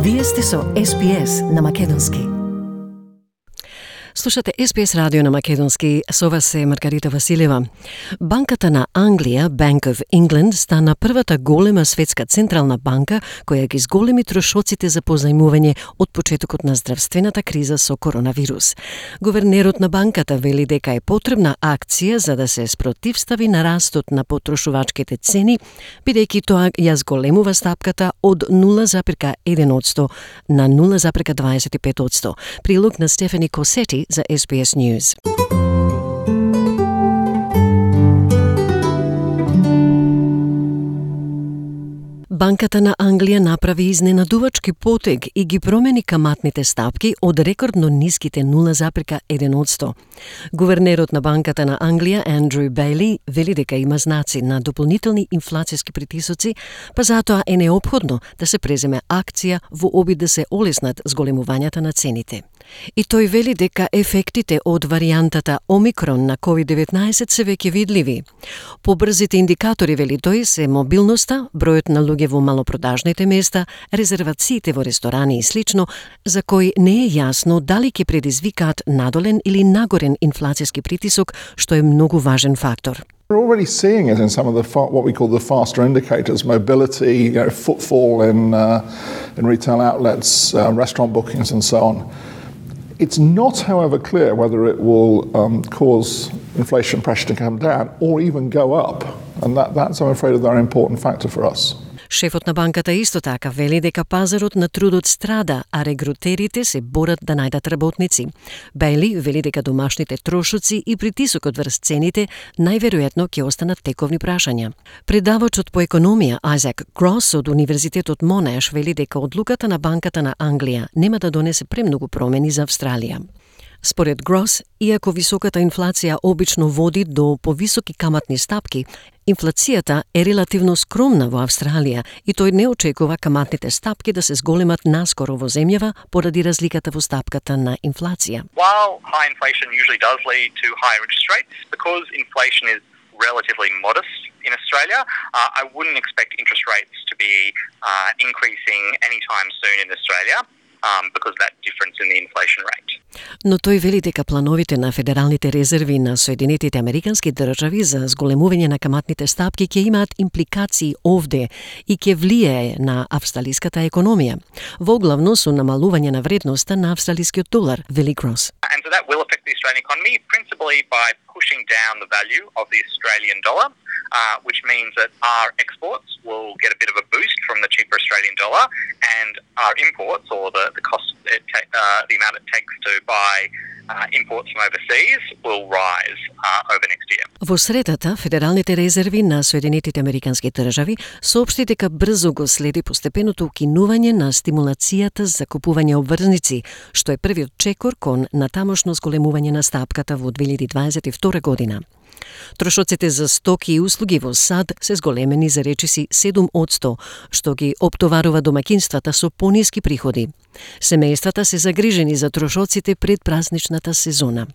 Вие сте со SPS на македонски. Слушате SPS радио на македонски, со вас е Маргарита Василева. Банката на Англија, Bank of England, стана првата голема светска централна банка која ги зголеми трошоците за позајмување од почетокот на здравствената криза со коронавирус. Гувернерот на банката вели дека е потребна акција за да се спротивстави на растот на потрошувачките цени, бидејќи тоа ја зголемува стапката од 0,1% на 0,25%. Прилог на Стефани Косети за SBS News. Банката на Англија направи изненадувачки потег и ги промени каматните стапки од рекордно ниските 0,1%. Гувернерот на Банката на Англија, Андрю Бејли, вели дека има знаци на дополнителни инфлацијски притисоци, па затоа е неопходно да се преземе акција во обид да се олеснат зголемувањата на цените. И тој вели дека ефектите од варијантата Омикрон на COVID-19 се веќе видливи. Побрзите индикатори, вели тој, се мобилноста, бројот на луѓе во малопродажните места, резервациите во ресторани и слично, за кои не е јасно дали ќе предизвикаат надолен или нагорен инфлацијски притисок, што е многу важен фактор. We're already seeing it in some of the what we call the faster indicators, mobility, footfall in retail outlets, restaurant bookings and so on. It's not, however, clear whether it will cause inflation pressure to come down or even go up. And that's, I'm afraid, a very important factor for us. Шефот на банката исто така вели дека пазарот на трудот страда, а регрутерите се борат да најдат работници. Бејли вели дека домашните трошоци и притисокот врз цените најверојатно ќе останат тековни прашања. Предавачот по економија Айзек Грос од Универзитетот Монаш вели дека одлуката на Банката на Англија нема да донесе премногу промени за Австралија. Според Грос, иако високата инфлација обично води до повисоки каматни стапки, инфлацијата е релативно скромна во Австралија и тој не очекува каматните стапки да се зголемат наскоро во земјава поради разликата во стапката на инфлација. While high inflation usually does lead to higher interest rates, because inflation is relatively modest in Australia, I wouldn't expect interest rates to be increasing anytime soon in Australia. Because of that difference in the inflation rate. Но тој вели дека плановите на федералните резерви на Соединетите Американски држави за зголемување на каматните стапки ќе имаат импликации овде и ќе влијае на австралиската економија, воглавно со намалување на вредноста на австралискиот долар, вели Грос. And so that will affect the Australian economy principally by pushing down the value of the Australian dollar, which means that our exports will get a bit of a boost from the cheaper Australian dollar, and our imports, or the cost, the amount it takes to buy imports from overseas, will rise over next year. Во средата, Федералните резерви на Соединетите Американски држави соопшти дека брзо го следи постепеното укинување на стимулацијата за купување обврзници, што е првиот чекор кон натамошно зголемување на стапката во 2022 година. Трошоците за стоки и услуги во САД се зголемени за речиси 7%, што ги оптоварува домаќинствата со пониски приходи. Семејствата се загрижени за трошоците пред празничната сезона.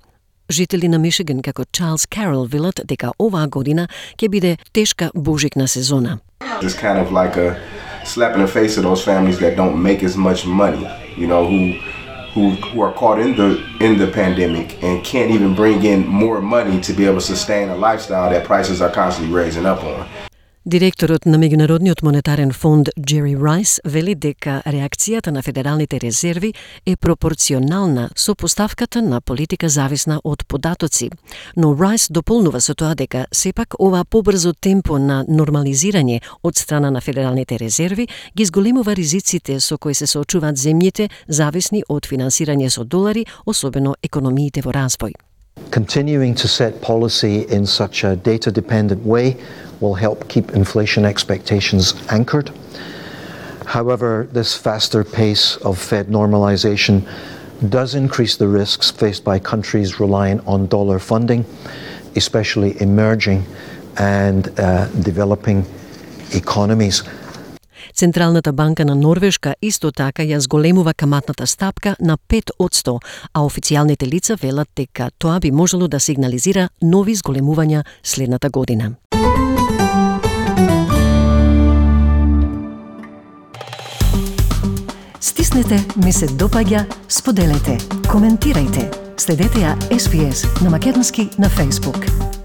Жители на Мишиган како Чарлс Карол велат дека оваа година ќе биде тешка божикна сезона. It's kind of like a slap in the face of those families that don't make as much money, you know, who are caught in the pandemic and can't even bring in more money to be able to sustain a lifestyle that prices are constantly raising up on. Директорот на Меѓународниот монетарен фонд Джери Райс вели дека реакцијата на федералните резерви е пропорционална со поставката на политика зависна од податоци. Но Райс дополнува со тоа дека сепак ова побрзо темпо на нормализирање од страна на федералните резерви ги зголемува ризиците со кои се соочуваат земјите зависни од финансирање со долари, особено економиите во развој. Continuing to set policy in such a data-dependent way will help keep inflation expectations anchored. However, this faster pace of Fed normalization does increase the risks faced by countries relying on dollar funding, especially emerging and developing economies. Централната банка на Норвешка исто така ја зголемува каматната стапка на 5%, а официјалните лица велат дека тоа би можело да сигнализира нови зголемувања следната година. натиснете ми се допаѓа, споделете, коментирајте. Следете ја SPS на македонски на Facebook.